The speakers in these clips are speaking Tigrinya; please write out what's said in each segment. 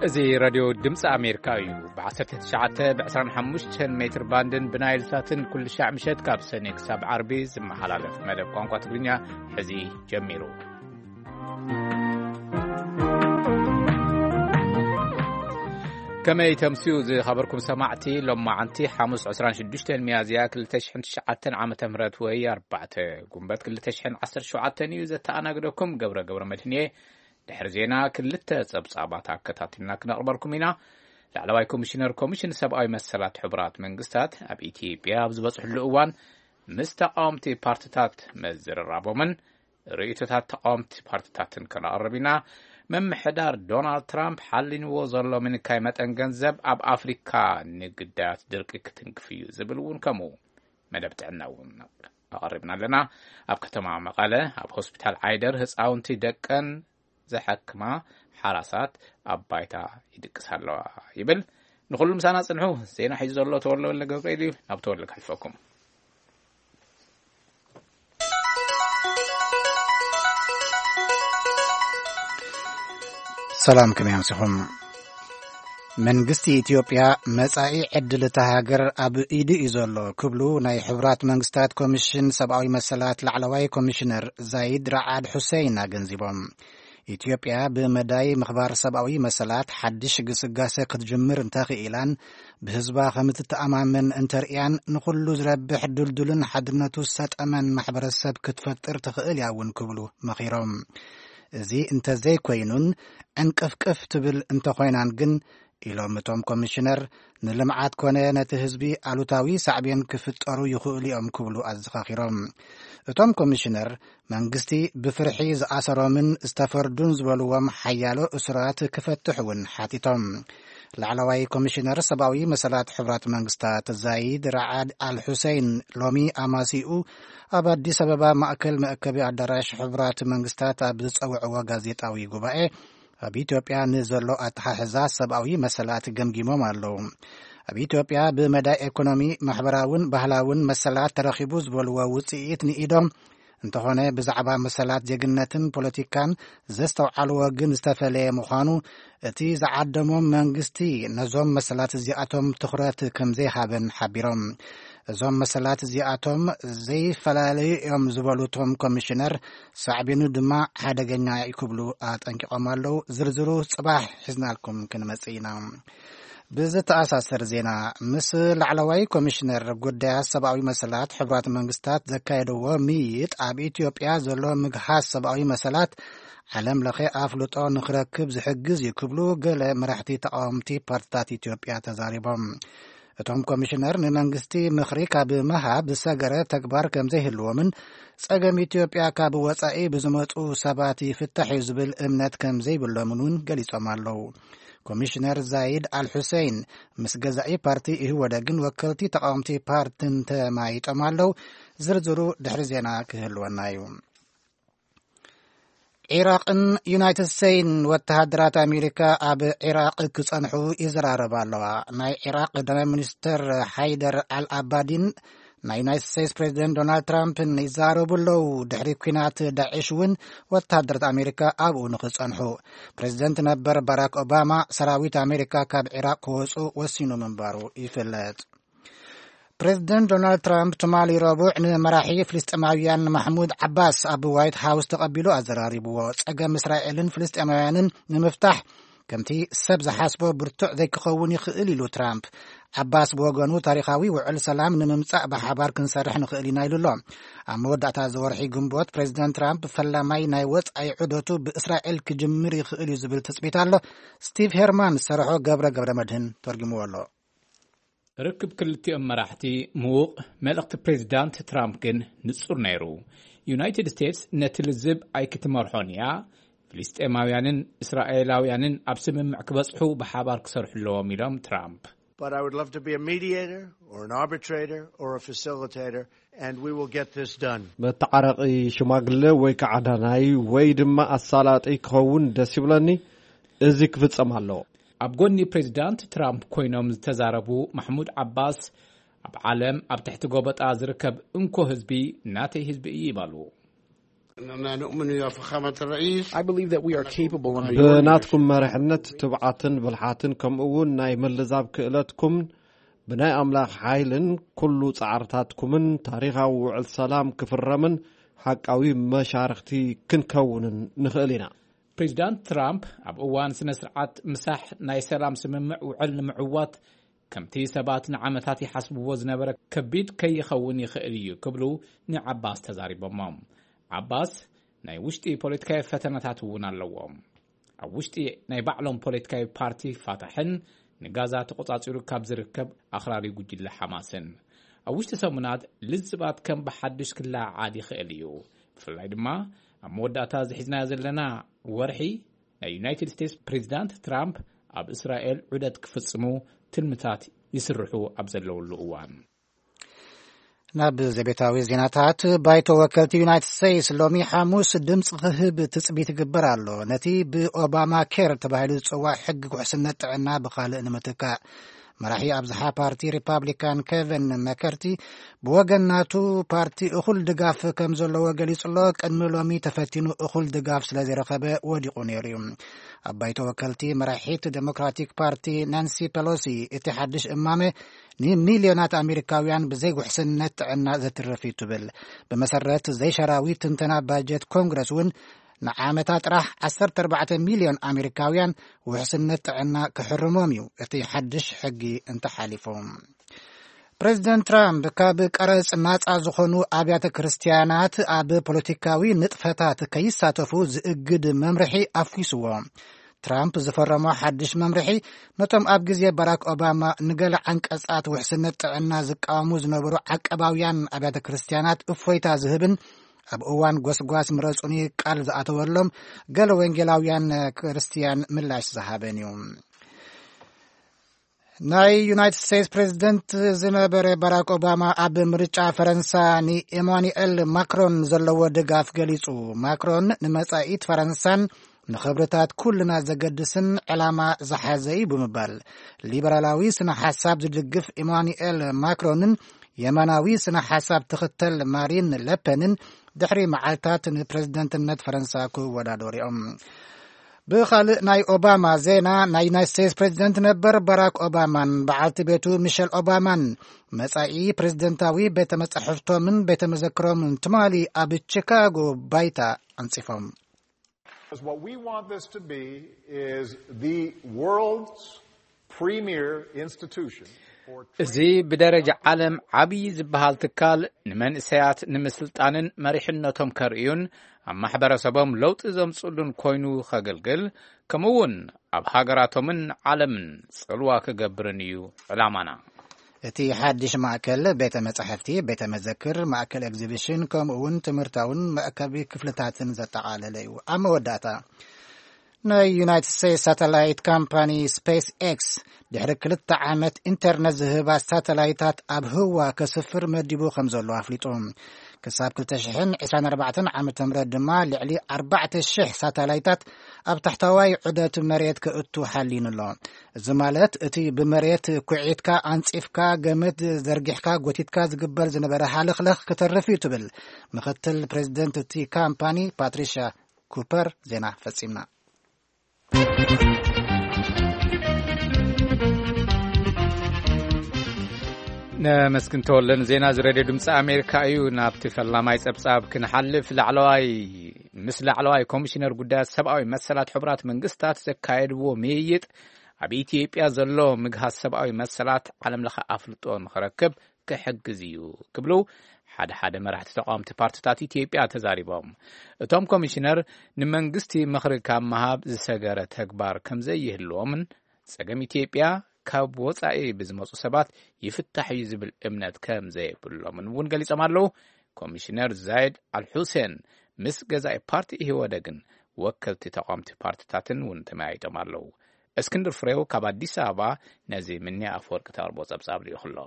እዚ ሬድዮ ድምፂ ኣሜሪካ እዩ። ብ19፣ ብ25 ሜትር ባንድን ብናይል ሳትን ኩሉ ሻዕ ምሸት ካብ ሰኔ ክሳብ ዓርቢ ዝመሓላለፍ መደብ ቋንቋ ትግርኛ ሕዚ ጀሚሩ። ከመይ ተምስዩ ዝኸበርኩም ሰማዕቲ? ሎማዓንቲ ሓሙስ 26 ሚያዝያ 2009 ዓመተ ምህረት ወይ ኣርባዕተ ጉንበት 2017 እዩ። ዘተኣናግደኩም ገብረ ገብረ መድህን እየ። ድሕሪ ዜና ክልተ ጸብጻባት ኣከታቲልና ክነቕርበልኩም ኢና። ላዕለዋይ ኮሚሽነር ኮሚሽን ሰብኣዊ መሰላት ሕቡራት መንግስታት ኣብ ኢትዮጵያ ኣብ ዝበጽሕሉ እዋን ምስ ተቃወምቲ ፓርትታት መዝርራቦምን ርእይቶታት ተቃወምቲ ፓርትታትን ከነቕርብ ኢና። ምምሕዳር ዶናልድ ትራምፕ ሓሊንዎ ዘሎ ምንካይ መጠን ገንዘብ ኣብ ኣፍሪካ ንግዳያት ድርቂ ክትንክፍ እዩ ዝብል እውን ከምኡ መደብ ጥዕና እውን ኣቐሪብና ኣለና። ኣብ ከተማ መቐለ ኣብ ሆስፒታል ዓይደር ህፃውንቲ ደቀን ዘሐክማ ሓራሳት ኣብ ባይታ ይድቅሳ ኣለዋ ይብል። ንኹሉ ምሳና ጽንሑ። ዜና ሒዙ ዘሎ ተወልደ ወልደ ገብርኤል እዩ። ናብ ተወልደ ከሕልፈኩም። ሰላም፣ ከመይ ኣምሲኹም? መንግስቲ ኢትዮጵያ መጻኢ ዕድል እታ ሃገር ኣብ ኢዱ እዩ ዘሎ ክብሉ ናይ ሕቡራት መንግስታት ኮሚሽን ሰብኣዊ መሰላት ላዕለዋይ ኮሚሽነር ዛይድ ራዓድ ሑሴን ኣገንዚቦም። ኢትዮጵያ ብመዳይ ምኽባር ሰብኣዊ መሰላት ሓድሽ ግስጋሴ ክትጅምር እንተኽኢላን ብህዝባ ከም እትተኣማመን እንተርእያን ንኹሉ ዝረብሕ ድልዱልን ሓድነቱ ዝሰጠመን ማሕበረሰብ ክትፈጥር ትኽእል እያ እውን ክብሉ መኺሮም። እዚ እንተዘይኮይኑን ዕንቅፍቅፍ ትብል እንተኾይናን ግን ኢሎም እቶም ኮሚሽነር፣ ንልምዓት ኮነ ነቲ ህዝቢ ኣሉታዊ ሳዕቤን ክፍጠሩ ይኽእሉ እዮም ክብሉ ኣዘኻኺሮም። እቶም ኮሚሽነር መንግስቲ ብፍርሒ ዝኣሰሮምን ዝተፈርዱን ዝበልዎም ሓያሎ እሱራት ክፈትሕ እውን ሓቲቶም። ላዕለዋይ ኮሚሽነር ሰብኣዊ መሰላት ሕቡራት መንግስታት ዛይድ ራዓድ ኣል ሑሴን ሎሚ ኣማሲኡ ኣብ ኣዲስ ኣበባ ማእከል መእከቢ ኣዳራሽ ሕቡራት መንግስታት ኣብ ዝጸውዕዎ ጋዜጣዊ ጉባኤ ኣብ ኢትዮጵያ ንዘሎ ኣተሓሕዛ ሰብኣዊ መሰላት ገምጊሞም ኣለዉ። ኣብ ኢትዮጵያ ብመዳይ ኢኮኖሚ፣ ማሕበራውን ባህላውን መሰላት ተረኺቡ ዝበልዎ ውጽኢት ንኢዶም እንተኾነ ብዛዕባ መሰላት ዜግነትን ፖለቲካን ዘስተውዓልዎ ግን ዝተፈለየ ምዃኑ እቲ ዝዓደሞም መንግስቲ ነዞም መሰላት እዚኣቶም ትኹረት ከም ዘይሃበን ሓቢሮም። እዞም መሰላት እዚኣቶም ዘይፈላለዩ እዮም ዝበሉ እቶም ኮሚሽነር ሳዕቤኑ ድማ ሓደገኛ እዩ ክብሉ ኣጠንቂቖም ኣለዉ። ዝርዝሩ ጽባሕ ሒዝናልኩም ክንመጽእ ኢና። ብዝተኣሳሰር ዜና፣ ምስ ላዕለዋይ ኮሚሽነር ጉዳያት ሰብኣዊ መሰላት ሕቡራት መንግስታት ዘካየድዎ ምይይጥ ኣብ ኢትዮጵያ ዘሎ ምግሃስ ሰብኣዊ መሰላት ዓለም ለኸ ኣፍልጦ ንክረክብ ዝሕግዝ እዩ ክብሉ ገለ መራሕቲ ተቃወምቲ ፓርትታት ኢትዮጵያ ተዛሪቦም። እቶም ኮሚሽነር ንመንግስቲ ምኽሪ ካብ ምሃብ ዝሰገረ ተግባር ከም ዘይህልዎምን ጸገም ኢትዮጵያ ካብ ወጻኢ ብዝመጹ ሰባት ይፍታሕ እዩ ዝብል እምነት ከም ዘይብሎምን እውን ገሊጾም ኣለዉ። ኮሚሽነር ዛይድ ኣል ሑሴን ምስ ገዛኢ ፓርቲ ኢህወደግን ወከልቲ ተቃወምቲ ፓርትን ተማይጦም ኣለዉ። ዝርዝሩ ድሕሪ ዜና ክህልወና እዩ። ዒራቕን ዩናይትድ ስቴትስን ወተሃደራት ኣሜሪካ ኣብ ዒራቕ ክጸንሑ ይዘራረባ ኣለዋ። ናይ ዒራቕ ቀዳማይ ሚኒስትር ሓይደር ኣል ኣባዲን ናይ ዩናይትድ ስቴትስ ፕሬዚደንት ዶናልድ ትራምፕን ይዛረቡ ኣለዉ። ድሕሪ ኲናት ዳዕሽ እውን ወተሃደራት ኣሜሪካ ኣብኡ ንኽጸንሑ። ፕሬዚደንት ነበር ባራክ ኦባማ ሰራዊት ኣሜሪካ ካብ ዒራቕ ክወጹ ወሲኑ ምንባሩ ይፍለጥ። ፕሬዚደንት ዶናልድ ትራምፕ ትማሊ ረቡዕ ንመራሒ ፍልስጤማውያን ማሕሙድ ዓባስ ኣብ ዋይት ሃውስ ተቐቢሉ ኣዘራሪብዎ። ጸገም እስራኤልን ፍልስጤማውያንን ንምፍታሕ ከምቲ ሰብ ዝሓስቦ ብርቱዕ ዘይክኸውን ይኽእል ኢሉ ትራምፕ። ዓባስ ብወገኑ ታሪኻዊ ውዕል ሰላም ንምምጻእ ብሓባር ክንሰርሕ ንኽእል ኢና ኢሉ ኣሎ። ኣብ መወዳእታ እዚ ወርሒ ግንቦት ፕሬዚደንት ትራምፕ ፈላማይ ናይ ወጻኢ ዑደቱ ብእስራኤል ክጅምር ይኽእል እዩ ዝብል ትጽቢት ኣሎ። ስቲቭ ሄርማን ዝሰርሖ ገብረ ገብረ መድህን ተርጉምዎ ኣሎ። ርክብ ክልቲኦም መራሕቲ ምዉቕ፣ መልእኽቲ ፕሬዚዳንት ትራምፕ ግን ንጹር ነይሩ። ዩናይትድ ስቴትስ ነቲ ልዝብ ኣይክትመርሖን እያ። ፍልስጤማውያንን እስራኤላውያንን ኣብ ስምምዕ ክበጽሑ ብሓባር ክሰርሑ ኣለዎም ኢሎም ትራምፕ። But I would love to be a mediator or an arbitrator or a facilitator, and we will get this done. መተዓረቒ ሽማግለ ወይ ከዓ ዳናይ ወይ ድማ ኣሳላጢ ክኸውን ደስ ይብለኒ። እዚ ክፍጸም ኣለዎ። ኣብ ጎኒ ፕሬዚዳንት ትራምፕ ኮይኖም ዝተዛረቡ ማሕሙድ ዓባስ፣ ኣብ ዓለም ኣብ ትሕቲ ጎበጣ ዝርከብ እንኮ ህዝቢ ናተይ ህዝቢ እዩ ይበሉ። أننا نؤمن يا فخامة الرئيس. I believe that we are capable under your ብናትኩም leadership. መሪሕነት ትብዓትን ብልሓትን ከምኡ እውን ናይ ምልዛብ ክእለትኩም ብናይ ኣምላኽ ሓይልን ኩሉ ጻዕርታትኩምን ታሪኻዊ ውዕል ሰላም ክፍረምን ሓቃዊ መሻርኽቲ ክንከውንን ንኽእል ኢና። ፕሬዚዳንት ትራምፕ ኣብ እዋን ስነ ስርዓት ምሳሕ ናይ ሰላም ስምምዕ ውዕል ንምዕዋት ከምቲ ሰባት ንዓመታት ይሓስብዎ ዝነበረ ከቢድ ከይኸውን ይኽእል እዩ ክብሉ ንዓባስ ተዛሪቦሞ። ዓባስ ናይ ውሽጢ ፖለቲካዊ ፈተነታት እውን ኣለዎም። ኣብ ውሽጢ ናይ ባዕሎም ፖለቲካዊ ፓርቲ ፋታሕን ንጋዛ ተቆጻጺሩ ካብ ዝርከብ ኣኽራሪ ጉጅለ ሓማስን ኣብ ውሽጢ ሰሙናት ልዝባት ከም ብሓድሽ ክለዓዓል ይኽእል እዩ። ብፍላይ ድማ ኣብ መወዳእታ ዝሒዝናዮ ዘለና ወርሒ ናይ ዩናይትድ ስቴትስ ፕሬዚዳንት ትራምፕ ኣብ እስራኤል ዑደት ክፍጽሙ ትልምታት ይስርሑ ኣብ ዘለውሉ እዋን። ናብ ዘቤታዊ ዜናታት። ባይቶ ወከልቲ ዩናይትድ ስቴትስ ሎሚ ሓሙስ ድምፂ ክህብ ትፅቢት ይግበር ኣሎ፣ ነቲ ብኦባማ ኬር ተባሂሉ ዝፅዋዕ ሕጊ ውሕስነት ጥዕና ብኻልእ ንምትካእ። መራሒ ኣብዝሓ ፓርቲ ሪፓብሊካን ኬቨን መከርቲ ብወገን ናቱ ፓርቲ እኹል ድጋፍ ከም ዘለዎ ገሊጹ ኣሎ። ቅድሚ ሎሚ ተፈቲኑ እኹል ድጋፍ ስለ ዘይረኸበ ወዲቑ ነይሩ እዩ። ኣብ ባይቶ ወከልቲ መራሒት ዴሞክራቲክ ፓርቲ ናንሲ ፔሎሲ እቲ ሓድሽ እማመ ንሚልዮናት ኣሜሪካውያን ብዘይ ውሕስነት ጥዕና ዘትርፍ እዩ ትብል። ብመሰረት ዘይሸራዊ ትንተና ባጀት ኮንግረስ እውን ንዓመታ ጥራሕ ዓሰርተ ኣርባዕተ ሚልዮን ኣሜሪካውያን ውሕስነት ጥዕና ክሕርሞም እዩ እቲ ሓድሽ ሕጊ እንተሓሊፉ። ፕሬዚደንት ትራምፕ ካብ ቀረጽ ናጻ ዝኾኑ ኣብያተ ክርስትያናት ኣብ ፖለቲካዊ ንጥፈታት ከይሳተፉ ዝእግድ መምርሒ ኣፍዊስዎ። ትራምፕ ዝፈረሞ ሓድሽ መምርሒ ነቶም ኣብ ግዜ ባራክ ኦባማ ንገለ ዓንቀጻት ውሕስነት ጥዕና ዝቃወሙ ዝነበሩ ዓቀባውያን ኣብያተ ክርስትያናት እፎይታ ዝህብን ኣብ እዋን ጎስጓስ ምረጹኒ ቃል ዝኣተወሎም ገለ ወንጌላውያን ክርስትያን ምላሽ ዝሃበን እዩ። ናይ ዩናይትድ ስቴትስ ፕሬዚደንት ዝነበረ ባራክ ኦባማ ኣብ ምርጫ ፈረንሳ ንኤማኑኤል ማክሮን ዘለዎ ድጋፍ ገሊጹ። ማክሮን ንመጻኢት ፈረንሳን ንኽብርታት ኩልና ዘገድስን ዕላማ ዝሓዘ እዩ ብምባል፣ ሊበራላዊ ስነ ሓሳብ ዝድግፍ ኤማኑኤል ማክሮንን የማናዊ ስነ ሓሳብ ትኽተል ማሪን ለፐንን ድሕሪ መዓልታት ንፕሬዝደንትነት ፈረንሳ ክወዳደሩ እዮም። ብኻልእ ናይ ኦባማ ዜና፣ ናይ ዩናይት ስቴትስ ፕሬዝደንት ነበር ባራክ ኦባማን በዓልቲ ቤቱ ሚሸል ኦባማን መጻኢ ፕሬዝደንታዊ ቤተ መጻሕፍቶምን ቤተ መዘክሮምን ትማሊ ኣብ ቺካጎ ባይታ ኣንጺፎም። What we want this to be is the world's premier institution for እዚ ብደረጃ ዓለም ዓብዪ ዝበሃል ትካል ንመንእሰያት ንምስልጣንን መሪሕነቶም ከርእዩን ኣብ ማሕበረሰቦም ለውጢ ዘምፅሉን ኮይኑ ከገልግል፣ ከምኡ እውን ኣብ ሃገራቶምን ዓለምን ጽልዋ ክገብርን እዩ ዕላማና። እቲ ሓድሽ ማእከል ቤተ መጻሕፍቲ፣ ቤተ መዘክር፣ ማእከል ኤግዚቢሽን፣ ከምኡ እውን ትምህርታውን መእከቢ ክፍልታትን ዘጠቓለለ እዩ። ኣብ መወዳእታ፣ ናይ ዩናይትድ ስቴትስ ሳተላይት ካምፓኒ ስፔስ ኤክስ ድሕሪ ክልተ ዓመት ኢንተርነት ዝህባ ሳተላይታት ኣብ ህዋ ከስፍር መዲቡ ከም ዘሎ ኣፍሊጡ። ክሳብ ክልተ ሽሕን ዕስራን ኣርባዕተን ዓመተ ምህረት ድማ ልዕሊ ኣርባዕተ ሽሕ ሳተላይታት ኣብ ታሕተዋይ ዑደት መሬት ክእቱ ሓሊኑ ኣሎ። እዚ ማለት እቲ ብመሬት ኩዒትካ፣ ኣንጺፍካ፣ ገመድ ዘርጊሕካ፣ ጎቲትካ ዝግበር ዝነበረ ሃለኽለኽ ክተርፍ እዩ ትብል ምክትል ፕሬዚደንት እቲ ካምፓኒ ፓትሪሻ ኩፐር። ዜና ፈጺምና። ነመስግን ተወልደ ንዜና እዚ ሬድዮ ድምፂ ኣሜሪካ እዩ። ናብቲ ፈላማይ ፀብፃብ ክንሓልፍ፣ ላዕለዋይ ምስ ላዕለዋይ ኮሚሽነር ጉዳያት ሰብኣዊ መሰላት ሕቡራት መንግስታት ዘካየድዎ ምይይጥ ኣብ ኢትዮጵያ ዘሎ ምግሃስ ሰብኣዊ መሰላት ዓለም ለኸ ኣፍልጦ ንኽረክብ ክሕግዝ እዩ ክብሉ ሓደ ሓደ መራሕቲ ተቃወምቲ ፓርትታት ኢትዮጵያ ተዛሪቦም። እቶም ኮሚሽነር ንመንግስቲ ምኽሪ ካብ ምሃብ ዝሰገረ ተግባር ከም ዘይህልዎምን ጸገም ኢትዮጵያ ካብ ወጻኢ ብዝመጹ ሰባት ይፍታሕ እዩ ዝብል እምነት ከም ዘይብሎምን እውን ገሊጾም ኣለዉ። ኮሚሽነር ዛይድ ኣልሑሴን ምስ ገዛኢ ፓርቲ ኢህወደግን ወከልቲ ተቃወምቲ ፓርትታትን እውን ተመያይጦም ኣለዉ። እስክንድር ፍሬው ካብ ኣዲስ ኣበባ ነዚ ምንያ ኣፈወርቂ ተቕርቦ ጸብጻብ ልኢኹ ኣሎ።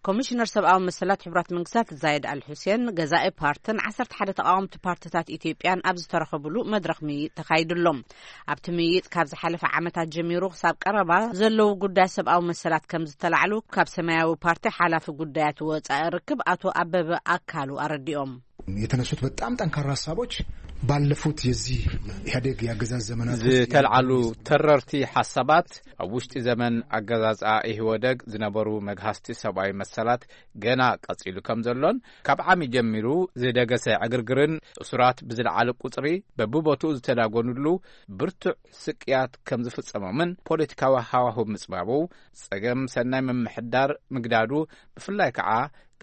ኮሚሽነር ሰብኣዊ መሰላት ሕቡራት መንግስታት ዛይድ ኣል ሑሴን፣ ገዛኢ ፓርትን ዓሰርተ ሓደ ተቃወምቲ ፓርትታት ኢትዮጵያን ኣብ ዝተረኸቡሉ መድረኽ ምይይጥ ተኻይዱ ኣሎ። ኣብቲ ምይይጥ ካብ ዝሓለፈ ዓመታት ጀሚሩ ክሳብ ቀረባ ዘለዉ ጉዳይ ሰብኣዊ መሰላት ከም ዝተላዕሉ ካብ ሰማያዊ ፓርቲ ሓላፊ ጉዳያት ወጻኢ ርክብ ኣቶ ኣበበ ኣካሉ ኣረዲኦም። የተነሱት በጣም ጠንካራ ሀሳቦች ባለፉት የዚህ ኢህአዴግ የአገዛዝ ዘመናት ውስጥ ዝተልዓሉ ተረርቲ ሓሳባት ኣብ ውሽጢ ዘመን ኣገዛዝኣ ኢህወደግ ዝነበሩ መግሃስቲ ሰብኣዊ መሰላት ገና ቀጺሉ ከም ዘሎን፣ ካብ ዓሚ ጀሚሩ ዝደገሰ ዕግርግርን እሱራት ብዝለዓለ ቁጽሪ በብቦትኡ ዝተዳጎኑሉ ብርቱዕ ስቅያት ከም ዝፍጸሞምን ፖለቲካዊ ሃዋህው ምጽባቡ፣ ጸገም ሰናይ ምምሕዳር ምግዳዱ፣ ብፍላይ ከኣ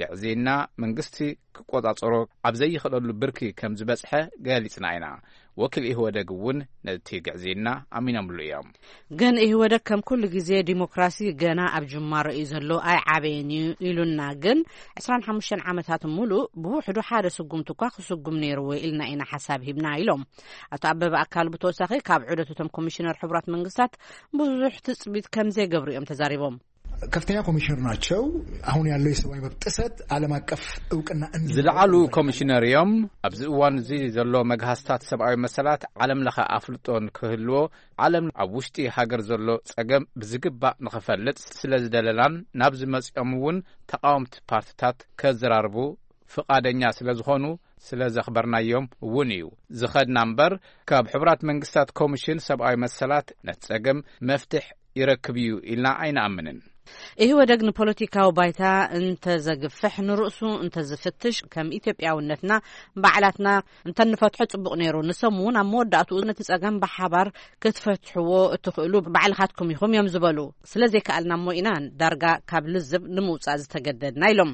ግዕዝይና መንግስቲ ክቆጻጸሮ ኣብ ዘይኽእለሉ ብርኪ ከም ዝበጽሐ ገሊጽና ኢና። ወኪል ኢህወደግ እውን ነቲ ግዕዝይና ኣሚኖምሉ እዮም። ግን ኢህወደግ ከም ኩሉ ግዜ ዲሞክራሲ ገና ኣብ ጅማሮ እዩ ዘሎ፣ ኣይዓበየን እዩ ኢሉና። ግን ዕስራን ሓሙሽተን ዓመታት ሙሉእ ብውሕዱ ሓደ ስጉምቲ እኳ ክስጉም ነይርዎ ኢልና ኢና ሓሳብ ሂብና ኢሎም። ኣቶ ኣበበ ኣካሉ ብተወሳኺ ካብ ዑደት እቶም ኮሚሽነር ሕቡራት መንግስታት ብዙሕ ትጽቢት ከም ዘይገብሩ እዮም ተዛሪቦም። ከፍተኛ ኮሚሽነር ናቸው። አሁን ያለው የሰብአዊ መብት ጥሰት ዓለም አቀፍ እውቅና እንዲኖረው ዝለዓሉ ይፈልጋል። ኮሚሽነር እዮም። ኣብዚ እዋን እዚ ዘሎ መግሃስታት ሰብኣዊ መሰላት ዓለም ለኸ ኣፍልጦ ንክህልዎ፣ ዓለም ኣብ ውሽጢ ሃገር ዘሎ ጸገም ብዝግባእ ንኽፈልጥ ስለ ዝደለናን ናብ ዝመጽኦም እውን ተቃወምቲ ፓርትታት ከዘራርቡ ፍቓደኛ ስለ ዝኾኑ ስለ ዘኽበርናዮም እውን እዩ ዝኸድና እምበር፣ ካብ ሕቡራት መንግስታት ኮሚሽን ሰብኣዊ መሰላት ነቲ ጸገም መፍትሕ ይረክብ እዩ ኢልና ኣይንኣምንን። ኢህወደግ ንፖለቲካዊ ባይታ እንተዘግፍሕ፣ ንርእሱ እንተዝፍትሽ፣ ከም ኢትዮጵያውነትና ባዕላትና እንተንፈትሖ ጽቡቕ ነይሩ። ንሶም እውን ኣብ መወዳእትኡ ነቲ ጸገም ብሓባር ክትፈትሕዎ እትኽእሉ ባዕልኻትኩም ኢኹም እዮም ዝበሉ። ስለ ዘይከኣልና እሞ ኢና ዳርጋ ካብ ልዝብ ንምውጻእ ዝተገደድና ኢሎም።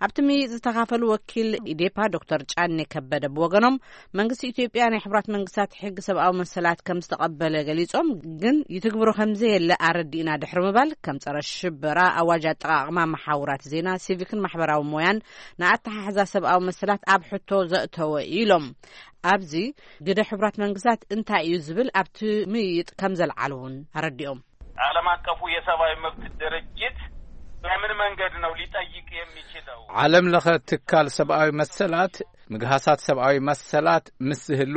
ኣብቲ ምይይጥ ዝተኻፈሉ ወኪል ኢዴፓ ዶክተር ጫኔ ከበደ ብወገኖም፣ መንግስቲ ኢትዮጵያ ናይ ሕቡራት መንግስታት ሕጊ ሰብኣዊ መሰላት ከም ዝተቐበለ ገሊጾም፣ ግን ይትግብሮ ከም ዘየለ ኣረዲእና ድሕሪ ምባል፣ ከም ጸረ ሽበራ፣ ኣዋጅ ኣጠቓቕማ መሓውራት ዜና፣ ሲቪክን ማሕበራዊ ሞያን ንኣተሓሕዛ ሰብኣዊ መሰላት ኣብ ሕቶ ዘእተወ እዩ ኢሎም። ኣብዚ ግደ ሕቡራት መንግስታት እንታይ እዩ ዝብል ኣብቲ ምይይጥ ከም ዘልዓሉ እውን ኣረዲኦም። ዓለም አቀፉ የሰብአዊ መብት ድርጅት በምን መንገድ ነው ሊጠይቅ የሚችለው? ዓለም ለኸ ትካል ሰብኣዊ መሰላት ምግሃሳት ሰብኣዊ መሰላት ምስ ዝህሉ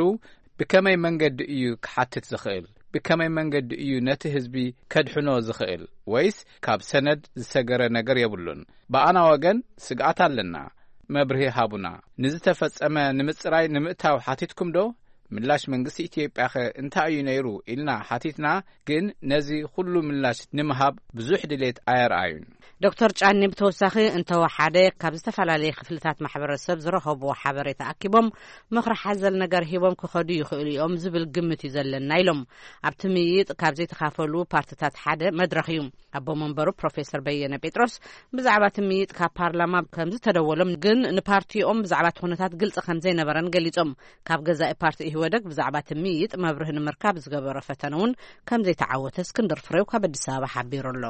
ብከመይ መንገዲ እዩ ክሓትት ዝኽእል? ብከመይ መንገዲ እዩ ነቲ ህዝቢ ከድሕኖ ዝኽእል? ወይስ ካብ ሰነድ ዝሰገረ ነገር የብሉን? ብኣና ወገን ስግኣት ኣለና። መብርሂ ሃቡና። ንዝተፈጸመ ንምጽራይ ንምእታው ሓቲትኩም ዶ? ምላሽ መንግስቲ ኢትዮጵያኸ እንታይ እዩ ነይሩ? ኢልና ሓቲትና፣ ግን ነዚ ኩሉ ምላሽ ንምሃብ ብዙሕ ድሌት ኣየርኣዩን። ዶክተር ጫኒ ብተወሳኺ እንተወሓደ ካብ ዝተፈላለየ ክፍልታት ማሕበረሰብ ዝረኸብዎ ሓበሬታ ኣኪቦም ምኽሪ ሓዘል ነገር ሂቦም ክኸዱ ይኽእሉ እዮም ዝብል ግምት እዩ ዘለና ኢሎም። ኣብቲ ምይይጥ ካብ ዘይተኻፈሉ ፓርትታት ሓደ መድረኽ እዩ። ኣቦ መንበሩ ፕሮፌሰር በየነ ጴጥሮስ ብዛዕባ እቲ ምይይጥ ካብ ፓርላማ ከም ዝተደወሎም፣ ግን ንፓርቲኦም ብዛዕባ እቲ ኩነታት ግልጺ ከም ዘይነበረን ገሊጾም። ካብ ገዛኢ ፓርቲ ኢህወደግ ብዛዕባ እቲ ምይይጥ መብርሂ ንምርካብ ዝገበሮ ፈተነ እውን ከም ዘይተዓወተ እስክንድር ፍሬው ካብ ኣዲስ ኣበባ ሓቢሩ ኣሎ።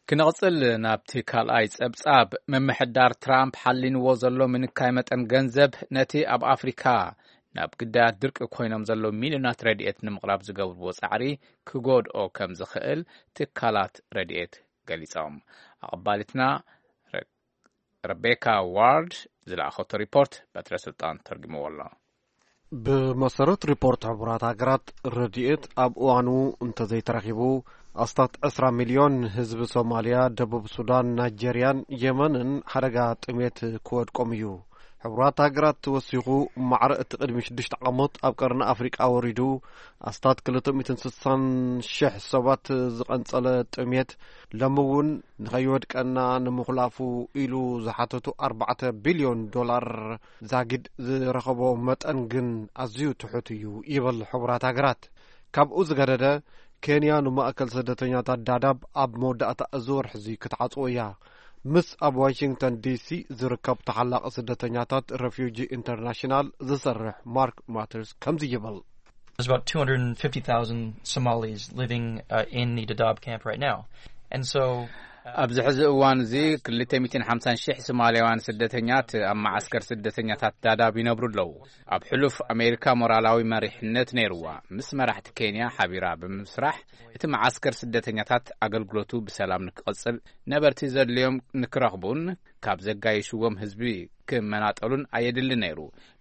ክንቕጽል ናብቲ ካልኣይ ጸብጻብ። ምምሕዳር ትራምፕ ሓሊንዎ ዘሎ ምንካይ መጠን ገንዘብ ነቲ ኣብ ኣፍሪካ ናብ ግዳያት ድርቂ ኮይኖም ዘለዉ ሚልዮናት ረድኤት ንምቕራብ ዝገብርዎ ጻዕሪ ክጎድኦ ከም ዝኽእል ትካላት ረድኤት ገሊጾም። ኣቐባሊትና ረ-፣ ረቤካ ዋርድ ዝለኣኸቶ ሪፖርት በትረ ስልጣን ተርጉምዎ ኣሎ። ብመሰረት ሪፖርት ሕቡራት ሃገራት፣ ረድኤት ኣብ እዋኑ እንተዘይተረኺቡ፣ ኣስታት ዕስራ ሚልዮን ህዝቢ ሶማልያ፣ ደቡብ ሱዳን፣ ናይጀርያን የመንን ሓደጋ ጥሜት ክወድቆም እዩ። ሕቡራት ሃገራት ወሲኹ፣ ማዕረ እቲ ቅድሚ ሽዱሽተ ዓመት ኣብ ቀርኒ ኣፍሪቃ ወሪዱ፣ ኣስታት ክልተ ሚእትን ስሳን ሽሕ ሰባት ዝቐንጸለ ጥሜት፣ ሎሚ እውን ንኸይወድቀና ንምኹላፉ ኢሉ ዝሓተቱ ኣርባዕተ ቢልዮን ዶላር ዛጊድ ዝረኸቦ መጠን ግን ኣዝዩ ትሑት እዩ ይብል ሕቡራት ሃገራት። ካብኡ ዝገደደ፣ ኬንያ ንማእከል ስደተኛታት ዳዳብ ኣብ መወዳእታ እዚ ወርሒ እዚ ክትዓጽዎ እያ። ምስ ኣብ ዋሽንግተን ዲሲ ዝርከብ ተሓላቒ ስደተኛታት፣ ረፊውጂ ኢንተርናሽናል ዝሰርሕ ማርክ ማተርስ ከምዚ ይብል። There's about two hundred fifty thousand Somalis living, uh, in the Dadaab camp right now. And so, uh, ኣብዚ ሕዚ እዋን እዚ ክልተ ሚእትን ሓምሳን ሽሕ ሶማልያውያን ስደተኛት ኣብ መዓስከር ስደተኛታት ዳዳብ ይነብሩ ኣለዉ። ኣብ ሕሉፍ ኣሜሪካ ሞራላዊ መሪሕነት ነይርዋ። ምስ መራሕቲ ኬንያ ሓቢራ ብምስራሕ እቲ መዓስከር ስደተኛታት ኣገልግሎቱ ብሰላም ንክቕጽል ነበርቲ ዘድልዮም ንክረኽቡን ካብ ዘጋይሽዎም ህዝቢ ክመናጠሉን ኣየድሊ ነይሩ።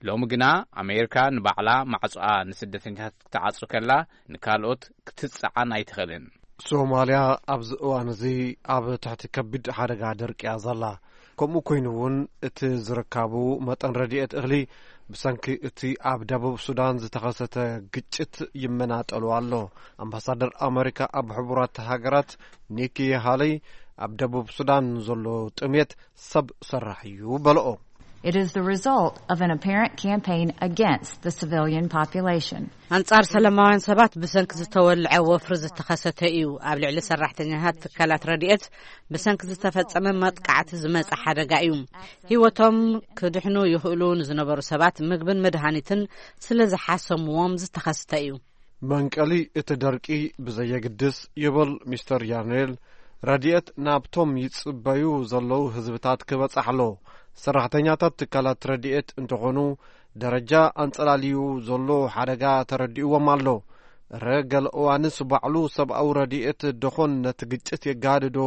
ሎሚ ግና ኣሜሪካ ንባዕላ ማዕጾኣ ንስደተኛታት ክትዓጹ ከላ ንካልኦት ክትጽዓን ኣይትኽእልን። ሶማልያ ኣብዚ እዋን እዚ ኣብ ትሕቲ ከቢድ ሓደጋ ደርቂ እያ ዘላ። ከምኡ ኮይኑ እውን እቲ ዝርካቡ መጠን ረድኤት እኽሊ ብሰንኪ እቲ ኣብ ደቡብ ሱዳን ዝተኸሰተ ግጭት ይመናጠሉ ኣሎ። ኣምባሳደር ኣመሪካ ኣብ ሕቡራት ሃገራት ኒኪ ሃለይ ኣብ ደቡብ ሱዳን ዘሎ ጥሜት ሰብ ሰራሕ እዩ በልኦ። It is the result of an apparent campaign against the civilian population. ኣንጻር ሰላማውያን ሰባት ብሰንኪ ዝተወልዐ ወፍሪ ዝተኸሰተ እዩ። ኣብ ልዕሊ ሰራሕተኛታት ትካላት ረድኤት ብሰንኪ ዝተፈጸመ መጥቃዕቲ ዝመጸ ሓደጋ እዩ። ህይወቶም ክድሕኑ ይኽእሉ ንዝነበሩ ሰባት ምግብን መድሃኒትን ስለ ዝሓሰምዎም ዝተኸስተ እዩ። መንቀሊ እቲ ደርቂ ብዘየግድስ ይብል ሚስተር ያርኔል፣ ረድኤት ናብቶም ይጽበዩ ዘለዉ ህዝብታት ክበጽሕ ኣሎ። ሰራሕተኛታት ትካላት ረድኤት እንተኾኑ ደረጃ ኣንጸላልዩ ዘሎ ሓደጋ ተረዲእዎም ኣሎ። እረ ገለ እዋንስ ባዕሉ ሰብኣዊ ረድኤት ደኾን ነቲ ግጭት የጋድዶ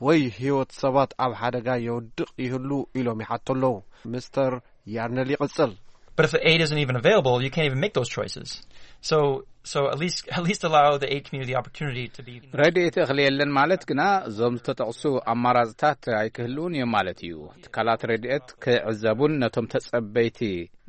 ወይ ህይወት ሰባት ኣብ ሓደጋ የውድቕ ይህሉ ኢሎም ይሓቶ ኣለዉ። ሚስተር ያርነል ይቕጽል። But if the aid isn't even available, you can't even make those choices. So, so at least at least allow the aid community the opportunity to be. ረድኤት እኽሊ የለን ማለት ግና እዞም ዝተጠቕሱ ኣማራፅታት ኣይክህልውን እዮም ማለት እዩ። ትካላት ረድኤት ክዕዘቡን ነቶም ተጸበይቲ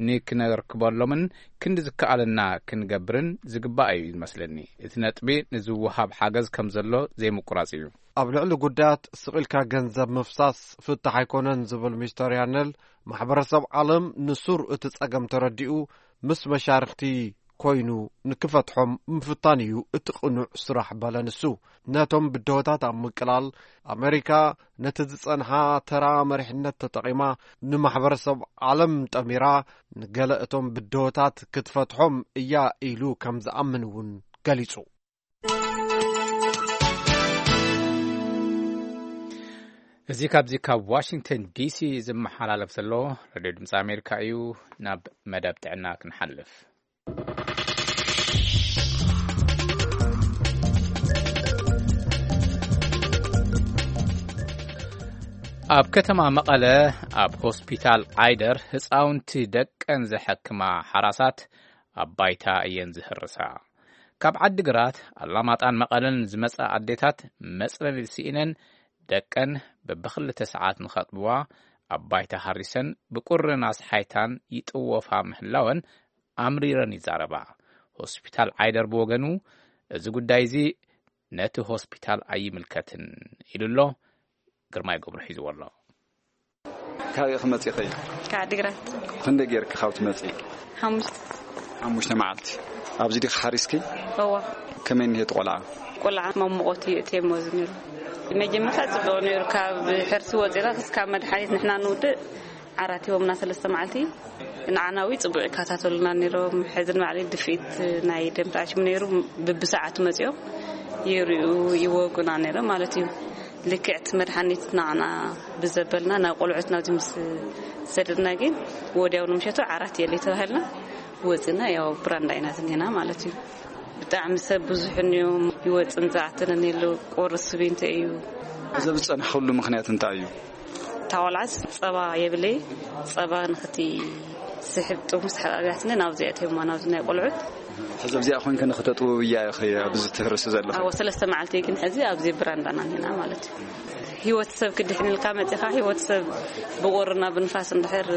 ንክነርክበሎምን ክንዲ ዝከኣለና ክንገብርን ዝግባእ እዩ ዝመስለኒ። እቲ ነጥቢ ንዝወሃብ ሓገዝ ከም ዘሎ ዘይምቁራጽ እዩ። ኣብ ልዕሊ ጉዳያት ስቕ ኢልካ ገንዘብ ምፍሳስ ፍታሕ ኣይኮነን ዝብል ሚስተር ያነል፣ ማሕበረሰብ ዓለም ንሱር እቲ ጸገም ተረዲኡ ምስ መሻርኽቲ ኮይኑ ንክፈትሖም ምፍታን እዩ እቲ ቅኑዕ ስራሕ በለ ንሱ። ነቶም ብድሆታት ኣብ ምቅላል ኣመሪካ ነቲ ዝጸንሓ ተራ መሪሕነት ተጠቒማ ንማሕበረሰብ ዓለም ጠሚራ ንገለ እቶም ብድሆታት ክትፈትሖም እያ ኢሉ ከም ዝኣምን እውን ገሊጹ። እዚ ካብዚ ካብ ዋሽንግተን ዲሲ ዝመሓላለፍ ዘሎ ሬድዮ ድምፂ ኣሜሪካ እዩ። ናብ መደብ ጥዕና ክንሓልፍ። ኣብ ከተማ መቐለ ኣብ ሆስፒታል ዓይደር ህፃውንቲ ደቀን ዘሐክማ ሓራሳት ኣብ ባይታ እየን ዝህርሳ። ካብ ዓዲግራት ኣላማጣን መቐለን ዝመጻ ኣዴታት መጽለሊ ስኢነን ደቀን በብኽልተ ሰዓት ንኸጥብዋ ኣብ ባይታ ሃሪሰን ብቁርን ኣስሓይታን ይጥወፋ ምህላወን ኣምሪረን ይዛረባ። ሆስፒታል ዓይደር ብወገኑ እዚ ጉዳይ እዚ ነቲ ሆስፒታል ኣይምልከትን ኢሉ ኣሎ። ግርማይ ገብሩ ሒዝዎ ኣሎ። ካበይ ክመጽእ ይኽእል? ካብ ዓዲግራት። ክንደይ ጌርክ ካብ ትመጽኢ? ሓሙሽተ። ሓሙሽተ መዓልቲ። ኣብዚ ዲኺ ሓሪስኪ? እዋ። ከመይ እኒሄ እቲ ቆልዓ? ቆልዓ መሞቖት እዩ እቲ ሞዝ ነይሩ። መጀመርታ ጽቡቕ ነይሩ። ካብ ሕርሲ ወጺና ክስካብ መድሓኒት ንሕና ንውድእ ዓራት ሂቦምና ሰለስተ መዓልቲ። ንዓና እውን ጽቡቕ ይከታተሉና ነይሮም። ሕዚ ንባዕለይ ድፍኢት ናይ ደም ራሽም ነይሩ። ብብሰዓቱ መጺኦም ይርእዩ ይወጉና ነይሮም ማለት እዩ። ልክዕቲ መድሓኒት ንዓና ብዘበልና ናብ ቆልዑት ናብዚ ምስ ሰደድና ግን ወዲያው ንምሸቱ ዓራት የለ ተባሂልና ወፅና። ያው ብራንዳ ኢና ዝኒና ማለት እዩ። ብጣዕሚ ሰብ ብዙሕን እዮም ይወፅን ዝኣትንን የለ። ቁርሲ ስቢንቶ እዩ። እዚ ዝፀናሕክሉ ምኽንያት እንታይ እዩ? እታ ቆልዓስ ፀባ የብለይ። ፀባ ንክቲ ስሕብ ጥሙስ ሓብኣብያትኒ ናብዚ ኣእትዮማ ናብዚ ናይ ቆልዑት። ሕዚ ኣብዚኣ ኮይንከ ንክተጥብብያ ኢኺ ኣብዚ ትህርሲ ዘለኺ? ኣዎ፣ ሰለስተ መዓልቲ ግን ሕዚ ኣብዚ ብራንዳና ኒና ማለት እዩ። ህይወት ሰብ ክድሕንልካ መፂኻ፣ ህይወት ሰብ ብቁርና ብንፋስ እንድሕር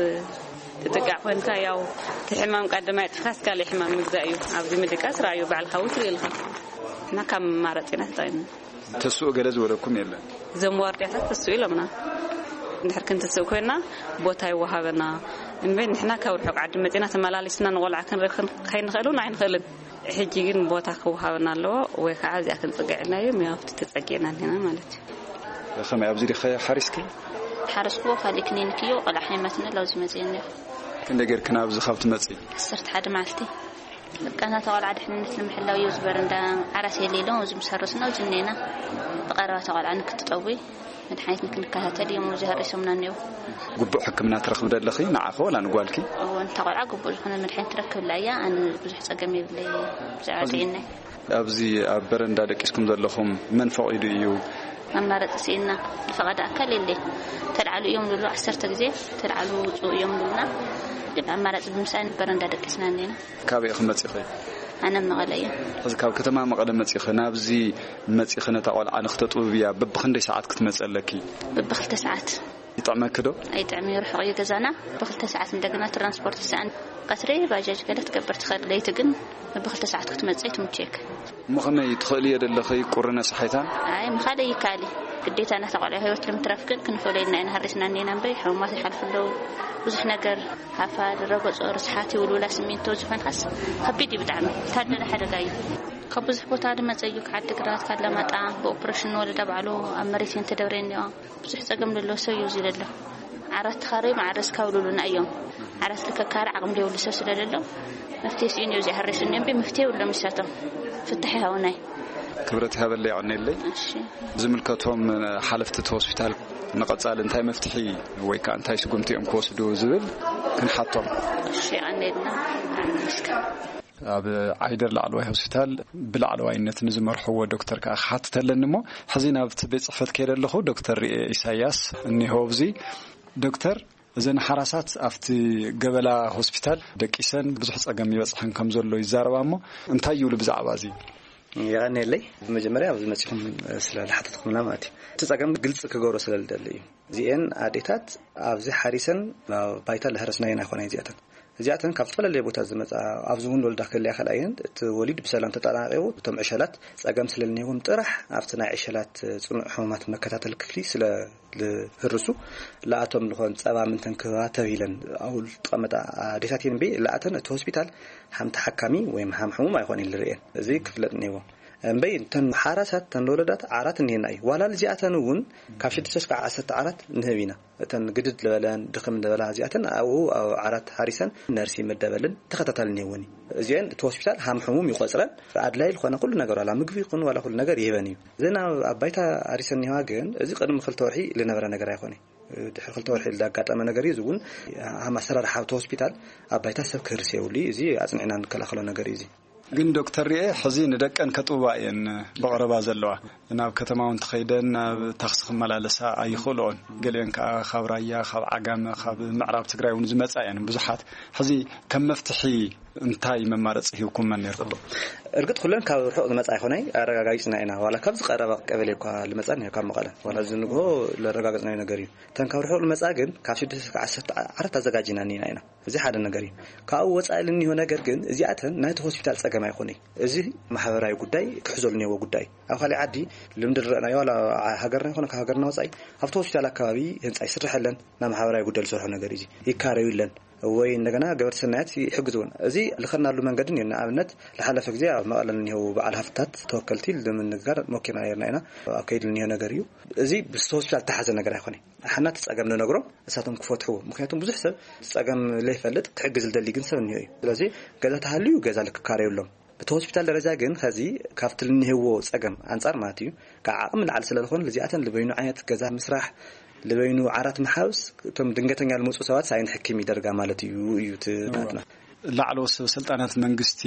ትጥቃዕ ኮይንካ፣ ያው እቲ ሕማም ቀዳማይ ጥፍካስ ካልእ ሕማም ምግዛእ እዩ። ኣብዚ ምድቃስ ራእዩ ባዕልካ እውን ትርኢ ኢልካ እና ካብ መማረፂና ተጠቂምና። ተስኡ ገለ ዝበለኩም የለን? እዞም ዋርድያታት ተስኡ ኢሎምና። እንድሕር ክንትስእ ኮይና ቦታ ይወሃበና። እምበይ ንሕና ካብ ርሑቕ ዓዲ መጺና ተመላሊስና ንቆልዓ ክንረክብ ከይንኽእል እውን ኣይንኽእልን። ሕጂ ግን ቦታ ክወሃበና ኣለዎ ወይ ከዓ እዚኣ ክንጽግዕ ኢልና እዩ። ያው ኣብቲ ተጸጊዕና እንዲና ማለት እዩ። ከመይ ኣብዚ ዲኸ ሓሪስኪ? ሓረስኩዎ ካልእ ክኒን ክዮ ቆልዓ ሓይማትና ላውዚ መጺእኒ። ክንደይ ጌርክን ኣብዚ ካብ ትመጺ? ዓሰርተ ሓደ መዓልቲ። በቃ ናታ ቆልዓ ድሕንነት ንምሕላው እዩ። እዚ በረንዳ ዓራት የለ ኢሎም ኣብዚ ምስ ሃረስና ኣብዚ እኒኤና። ብቐረባ እታ ቆልዓ ንክትጠዊ መድሓኒት ንክንከታተል እዮም ኣብዚ ሃሪሶምና እኒኦ። ግቡእ ሕክምና ትረኽቢ ዶ ኣለኺ ንዓኺ ወላ ንጓልኪ? እወ፣ ንታ ቆልዓ ግቡእ ዝኾነ መድሓኒት ትረክብላ እያ። ኣነ ብዙሕ ጸገም የብለይ ብዛዕባ ጥዕናይ። ኣብዚ ኣብ በረንዳ ደቂስኩም ዘለኹም መን ፈቒዱ እዩ? ኣማራጺ ስኢንና። ብፈቓድ ኣካል የለይ። ተልዓሉ እዮም ዝብሉ፣ ዓሰርተ ግዜ ተልዓሉ ውጹ እዮም ዝብሉና። ግን ኣማራጺ ብምስኣን በረንዳ ደቂስና እኒና። ካበይ ኢኺ መጺኺ? ኣነ መቐለ እየ። ሕዚ ካብ ከተማ መቐለ መጺኺ ናብዚ መጺኺ ነታ ቆልዓ ንክተጥብብያ በብኽንደይ ሰዓት ክትመጺ ኣለኪ? በብኽልተ ሰዓት። ይጥዕመኪ ዶ? ኣይጥዕም፣ ይርሕቕ እዩ ገዛና። ብክልተ ሰዓት እንደገና ትራንስፖርት ይሰኣን። ቀትሪ ባጃጅ ገለ ትገብር ትኽእል፣ ለይቲ ግን ብክልተ ሰዓት ክትመጽእ ትምችየክ። እሞ ከመይ ትኽእልዮ ዘለኺ ቁሪ ነስሓይታን? ኣይ ምኻደ ይካሊ ግዴታ ናታ ቆልዑ ህይወት ንምትራፍ ግን ክንፈለየልና ኢና። ሃሪስና እኔና እምበይ ሕሙማት ይሓልፉ ኣለዉ። ብዙሕ ነገር ሃፋ፣ ረጎጾ፣ ርስሓት፣ ይውልውላ፣ ስሚንቶ ዝኾንካስ ከቢድ እዩ ብጣዕሚ። ታደለ ሓደጋ እዩ። ካብ ብዙሕ ቦታ ዝመጸ እዩ። ካብ ዓዲግራት፣ ካብ ለማጣ ብኦፕሬሽን ወለዳ ባዕሉ ኣብ መሬት እየን ተደብረየን እኒኦ። ብዙሕ ጸገም ዘለዎ ሰብ እዩ እዚ ዘሎ። ዓራት ተኻረዩ ማዕረስ ካብ ልብሉና እዮም። ዓራት ልከካረ ዓቕሚ ዘይብሉ ሰብ ስለ ዘሎ መፍትሄ ስኢኑ እዩ እዚ ሓሬስ እኒኦ እምበይ መፍትሄ የብሎም። ይሳቶም ፍታሕ ይሃውናይ። ክብረት ይሃበለይ፣ የቐንየለይ። እሺ። ዝምልከቶም ሓለፍቲ እቲ ሆስፒታል ንቐጻሊ እንታይ መፍትሒ ወይ ከዓ እንታይ ስጉምቲ እዮም ክወስዱ ዝብል ክንሓቶም። እሺ፣ የቐንየልና። ኣመስግን። ኣብ ዓይደር ላዕለዋይ ሆስፒታል ብላዕለዋይነት ንዝመርሕዎ ዶክተር ከዓ ክሓትት ኣለኒ። እሞ ሕዚ ናብቲ ቤት ጽሕፈት ከይደ ኣለኹ። ዶክተር ርኤ ኢሳያስ እኒሆ ኣብዚ። ዶክተር፣ እዘን ሓራሳት ኣብቲ ገበላ ሆስፒታል ደቂሰን ብዙሕ ጸገም ይበጽሐን ከም ዘሎ ይዛረባ። እሞ እንታይ ይብሉ ብዛዕባ እዚ? የቐንየለይ። ብመጀመርያ ኣብዚ መጺኹም ስለ ዝሓተትኩምና ማለት እዩ። እቲ ጸገም ግልጺ ክገብሮ ስለ ዝደሊ እዩ። እዚኤን ኣዴታት ኣብዚ ሓሪሰን ናብ ባይታ ለህረስናየን ኣይኮና እዚኣተን። እዚኣተን ካብ ዝተፈላለየ ቦታ ዝመጻ፣ ኣብዚ እውን ወልዳ ክህልያ ከልኣየን፣ እቲ ወሊድ ብሰላም ተጠናቂቑ፣ እቶም ዕሸላት ጸገም ስለ ዝኒዎም ጥራሕ ኣብቲ ናይ ዕሸላት ጽኑዕ ሕሙማት መከታተሊ ክፍሊ ስለ ዝህርሱ፣ ለኣቶም ዝኾን ጸባ ምንተን ክህባ ተብሂለን ኣብኡ ዝጠመጣ ኣዴታት እየን። እምበይ ለኣተን እቲ ሆስፒታል ሓምቲ ሓካሚ ወይም ሓም ሕሙም ኣይኮነ ዝርእየን። እዚ ክፍለጥ እኒዎ። እምበይ እተን ሓራሳት፣ እተን ወለዳት ዓራት እኒሄና እዩ። ዋላ እዚኣተን እውን ካብ ሽዱሽተ እስካብ ዓሰርተ ዓራት ንህብ ኢና። እተን ግድድ ዝበለን ድኽም ዝበላ እዚኣተን ኣብኡ ኣብ ዓራት ሓሪሰን ነርሲ ይምደበልን ተኸታታሊ እኒሄወን እዩ። እዚአን እቲ ሆስፒታል ሃም ሕሙም ይቆጽረን፣ ኣድላይ ዝኾነ ኩሉ ነገር ዋላ ምግቢ ይኹን ዋላ ኩሉ ነገር ይህበን እዩ። እዘን ኣብ ኣብ ባይታ ሓሪሰን እኒሄዋ ግን እዚ ቅድሚ ክልተ ወርሒ ዝነበረ ነገር ኣይኮነ። ድሕሪ ክልተ ወርሒ ዝኣጋጠመ ነገር እዩ። እዚ እውን ሃም ኣሰራርሓ እቲ ሆስፒታል ኣብ ባይታ ሰብ ክህርስ የብሉ እዩ። እዚ ኣጽኒዕና ንከላኸሎ ነገር እዩ። እዚ ግን ዶክተር ርኤ ሕዚ ንደቀን ከጥብባ እየን ብቐረባ ዘለዋ። ናብ ከተማ እውን ተኸይደን ናብ ታክሲ ክመላለሳ ኣይኽእልኦን። ገሊአን ከዓ ካብ ራያ፣ ካብ ዓጋመ፣ ካብ ምዕራብ ትግራይ እውን ዝመፃ እየን ብዙሓት። ሕዚ ከም መፍትሒ እንታይ መማረፂ ሂብኩመን ነርኩም? እርግጥ ኩለን ካብ ርሑቕ ዝመፃ ኣይኮናይ ኣረጋጋፂና ኢና። ዋላ ካብ ዝቀረባ ቀበሌ እኳ ዝመፃ እኒሀ ካብ መቐለ ዋላ እዚ ንግሆ ዘረጋገፅናዮ ነገር እዩ። እተን ካብ ርሑቕ ዝመፃ ግን ካብ ሽዱሽተ እስካብ ዓሰርተ ዓራት ኣዘጋጂና እኒና ኢና። እዚ ሓደ ነገር እዩ። ካብኡ ወፃኢ ልኒሆ ነገር ግን እዚኣተን ናይቲ ሆስፒታል ፀገም ኣይኮነይ። እዚ ማሕበራዊ ጉዳይ ክሕዘሉ ኒሄዎ ጉዳይ እዩ። ኣብ ካሊእ ዓዲ ልምዲ ዝረእናዮ ዋላ ሃገርና ይኮነ ካብ ሃገርና ወፃኢ ኣብቲ ሆስፒታል ኣካባቢ ህንፃ ይስርሐለን ናብ ማሕበራዊ ጉዳይ ዝሰርሖ ነገር እዩ። ይካረዩለን ወይ እንደገና ገበርቲ ሰናያት ይሕግዝውን። እዚ ልኸድናሉ መንገዲ እኒኦ። ንኣብነት ዝሓለፈ ግዜ ኣብ መቐለ ልኒሄው በዓል ሃፍትታት ተወከልቲ ልምንጋር ሞኪርና ነርና ኢና። ኣብ ከይዲ ልኒሆ ነገር እዩ። እዚ ብስቲ ሆስፒታል ተሓዘ ነገር ኣይኮነ። ሓና እቲ ጸገም ንነግሮም እሳቶም ክፈትሕዎ። ምክንያቱም ብዙሕ ሰብ ጸገም ለይፈልጥ ክሕግዝ ዝደሊ ግን ሰብ እኒሆ እዩ። ስለዚ ገዛ ተሃልዩ ገዛ ልክካረዩሎም። እቲ ሆስፒታል ደረጃ ግን ኸዚ ካብቲ ልንህዎ ጸገም ኣንጻር ማለት እዩ ካብ ዓቕሚ ንዓል ስለ ዝኾነ ልዚኣተን ልበይኑ ዓይነት ገዛ ምስራሕ ልበይኑ ዓራት መሓውስ እቶም ድንገተኛ ልመፁ ሰባት ሳይን ሕክም ይደርጋ ማለት እዩ እዩ እቲ ናትና። ላዕለዎት ሰብ ስልጣናት መንግስቲ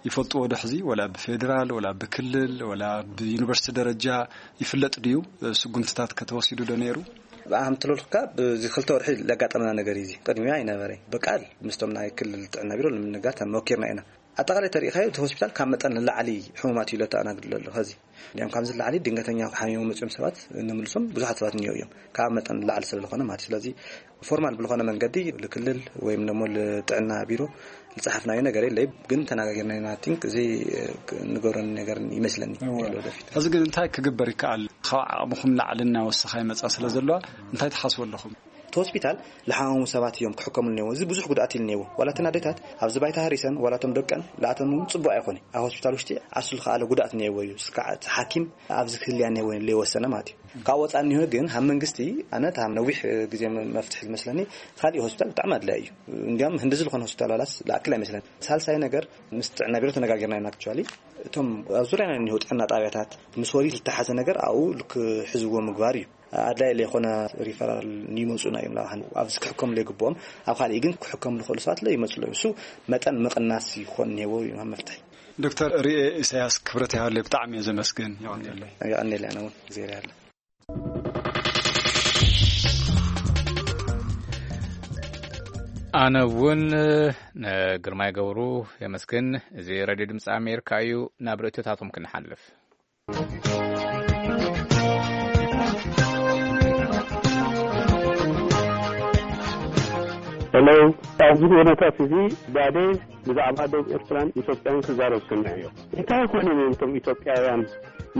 ይፈልጥዎ ዶ ሕዚ ወላ ብፌዴራል ወላ ብክልል ወላ ብዩኒቨርሲቲ ደረጃ ይፍለጥ ድዩ? ስጉምትታት ከተወሲዱ ዶ ነይሩ? ብኣም ትለልካ ብዚ ክልተ ወርሒ ዘጋጠመና ነገር እዩ። እዚ ቅድሚያ ኣይነበረ። ብቃል ምስቶም ናይ ክልል ጥዕና ቢሮ ንምንጋር ተመኪርና ኢና። ኣጠቃላይ ተሪኢኻዮ እቲ ሆስፒታል ካብ መጠን ንላዕሊ ሕሙማት እዩ ለተኣናግድ ዘሎ። ኸዚ እንዲያም ካብዚ ንላዕሊ ድንገተኛ ሓሚሞም መፅኦም ሰባት ንምልሶም ብዙሓት ሰባት እኒኦ እዮም። ካብ መጠን ንላዕሊ ስለ ዝኾነ ማለት እዩ። ስለዚ ፎርማል ብልኾነ መንገዲ ልክልል ወይም ደሞ ልጥዕና ቢሮ ልፀሓፍናዮ ነገር የለ። ግን ተነጋጊርና ኢና። ቲንክ እዚ ንገሮን ነገር ይመስለኒ። ወደፊት ሕዚ ግን እንታይ ክግበር ይከኣል? ካብ ዓቕምኹም ላዕሊ እናወሰኻ ይመፃ ስለ ዘለዋ እንታይ ትሓስቡ ኣለኹም? እቲ ሆስፒታል ዝሓመሙ ሰባት እዮም ክሕከሙ እኒዎ። እዚ ብዙሕ ጉድኣት ኢሉ እኒዎ። ዋላ እተን ኣዴታት ኣብዚ ባይታ ሃሪሰን ዋላ እቶም ደቀን ላእተን እውን ፅቡቅ ኣይኮነ። ኣብ ሆስፒታል ውሽጢ ዓርሱ ዝኸኣለ ጉድኣት እኒዎ እዩ። ስካዕ እቲ ሓኪም ኣብዚ ክህልያ እኒዎ ለይወሰነ ማለት እዩ። ካብ ወፃ እኒሆ ግን ሃብ መንግስቲ ኣነ እቲ ሃብ ነዊሕ ግዜ መፍትሒ ዝመስለኒ ካሊእ ሆስፒታል ብጣዕሚ ኣድላይ እዩ። እንዲያም ህንድዚ ዝኾነ ሆስፒታል ዋላስ ዝኣክል ኣይመስለኒ። ሳልሳይ ነገር ምስ ጥዕና ቢሮ ተነጋጊርና ኢና። ኣክቹዋሊ እቶም ኣብ ዙርያና እኒሆ ጥዕና ጣብያታት ምስ ወሊድ ዝተሓዘ ነገር ኣብኡ ክሕዝዎ ምግባር እዩ። ኣድላይ ለይኮነ ሪፈራል ይመፁና እዮም። ናብ ሓን ኣብዚ ክሕከሙ ለይግብኦም ኣብ ካሊእ ግን ክሕከሙ ዝኽእሉ ሰባት ለይመፁ ኣለዉ። እሱ መጠን ምቕናስ ይኾን እኒሄዎ እዩ መፍትሒ። ዶክተር ርኤ ኢሳያስ ክብረት ይሃበለይ ብጣዕሚ እየ ዘመስግን። የቐንየለይ። የቐንየለይ። ኣነ እውን እግዜር ይሃበለይ። ኣነ እውን ንግርማይ ገብሩ የመስግን። እዚ ሬድዮ ድምፂ ኣሜሪካ እዩ። ናብ ርእቶታቶም ክንሓልፍ። ሄሎ፣ ኣብዚ ኩነታት እዚ ዳደ ብዛዕባ ደቡብ ኤርትራን ኢትዮጵያን ክዛረብ ሰሚዐዮ። እንታይ ኮይኖም እዮም እቶም ኢትዮጵያውያን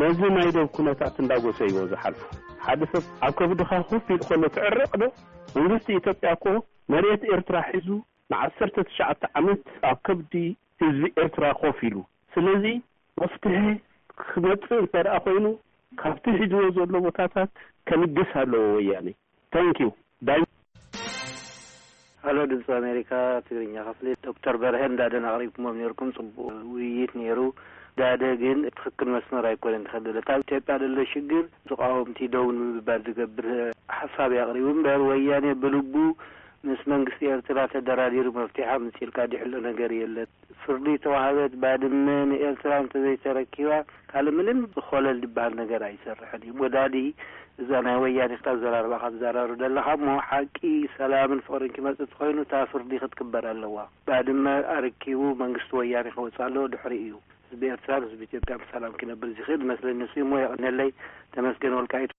ነዚ ናይ ደቡብ ኩነታት እንዳጎሰይዎ ዝሓልፉ? ሓደ ሰብ ኣብ ከብድኻ ኮፍ ኢሉ ከሎ ትዕረቕ ዶ? መንግስቲ ኢትዮጵያ እኮ መሬት ኤርትራ ሒዙ ንዓሰርተ ትሽዓተ ዓመት ኣብ ከብዲ ህዝቢ ኤርትራ ኮፍ ኢሉ። ስለዚ መፍትሒ ክመጽእ እንተ ደኣ ኮይኑ ካብቲ ሒዝዎ ዘሎ ቦታታት ከልግስ ኣለዎ ወያኔ። ታንኪዩ። ዳይ ሃሎ፣ ድምፂ ኣሜሪካ ትግርኛ ክፍሊ። ዶክተር በርሀ እንዳደን ኣቕሪብኩሞም ነርኩም፣ ፅቡቅ ውይይት ነይሩ። ዳደ ግን ትክክል መስመር ኣይኮነን ዝኸደለ። እታ ኢትዮጵያ ደሎ ሽግር ተቃወምቲ ደው ንምባል ዝገብር ሓሳብ የቕሪቡ እምበር፣ ወያኔ ብልቡ ምስ መንግስቲ ኤርትራ ተደራዲሩ መፍትሒ ኣምፅልካ ድሕሎ ነገር የለን። ፍርዲ ተዋህበት ባድመ ንኤርትራ እንተዘይተረኪባ ካልእ ምንም ዝኮለል ዝበሃል ነገር ኣይሰርሕን እዩ። ወዳዲ እዛ ናይ ወያኔ ክታ ዘራርባ ካብ ዘራሩ ደለኻ እሞ ሓቂ ሰላምን ፍቅርን ክመጽእ ተኮይኑ እታ ፍርዲ ክትክበር ኣለዋ። ባድመ ኣረኪቡ መንግስቲ ወያኔ ክወጽእ ኣለዎ። ድሕሪ እዩ ህዝቢ ኤርትራን ህዝቢ ኢትዮጵያ ብሰላም ክነብር ዝኽእል መስለኒ። ንሱ እሞ የቀነለይ። ተመስገን ወልቃይት።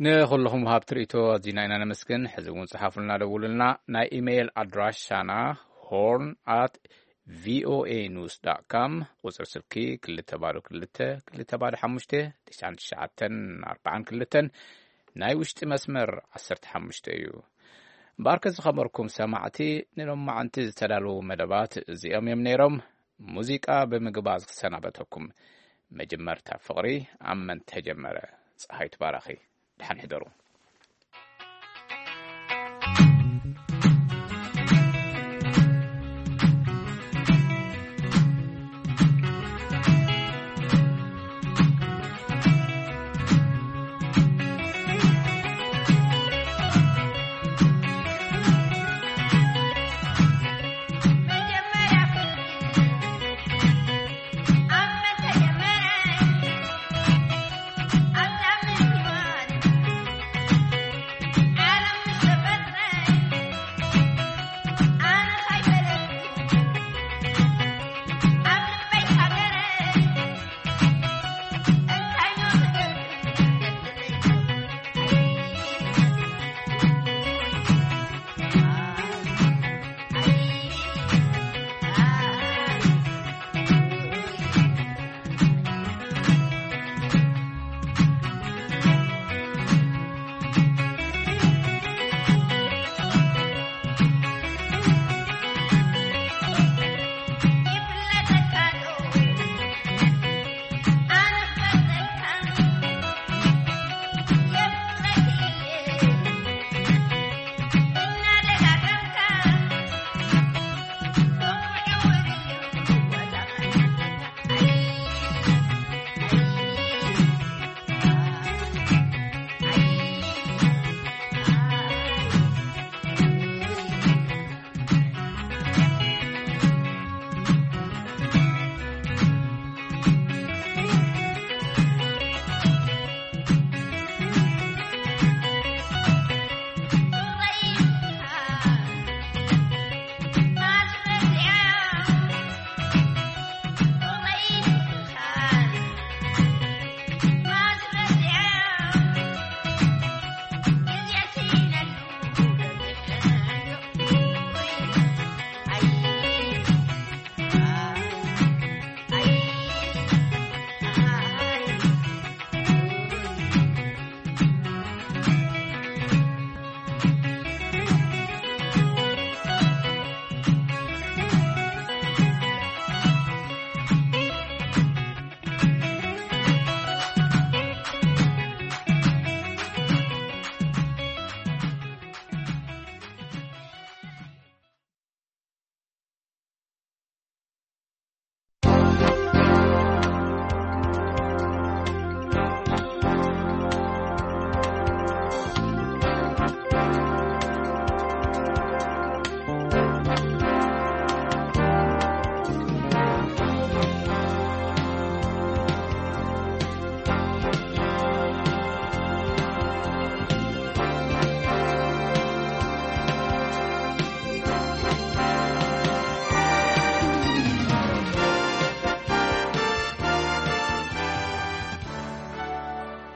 ንኹልኹም ሃብቲ ርእቶ ኣዚና ኢና ነመስግን። ሕዚ እውን ጽሓፉልና፣ ደውሉልና። ናይ ኢሜይል ኣድራሻና ሆርን ኣት ቪኦኤ ኒውስ ዳት ካም፣ ቁጽሪ ስልኪ ክልተ ባዶ ክልተ ክልተ ባዶ ሓሙሽተ ትሽዓን ትሽዓተን ኣርባዓን ክልተን፣ ናይ ውሽጢ መስመር ዓሰርተ ሓሙሽተ እዩ። እምበኣርከ ዝኸበርኩም ሰማዕቲ፣ ንሎማዓንቲ ዝተዳለዉ መደባት እዚኦም እዮም ነይሮም። ሙዚቃ ብምግባዝ ክሰናበተኩም። መጀመርታ ፍቕሪ ኣብ መን ተጀመረ? ፀሃይ ትባራኺ። ደሓን ሕደሩ።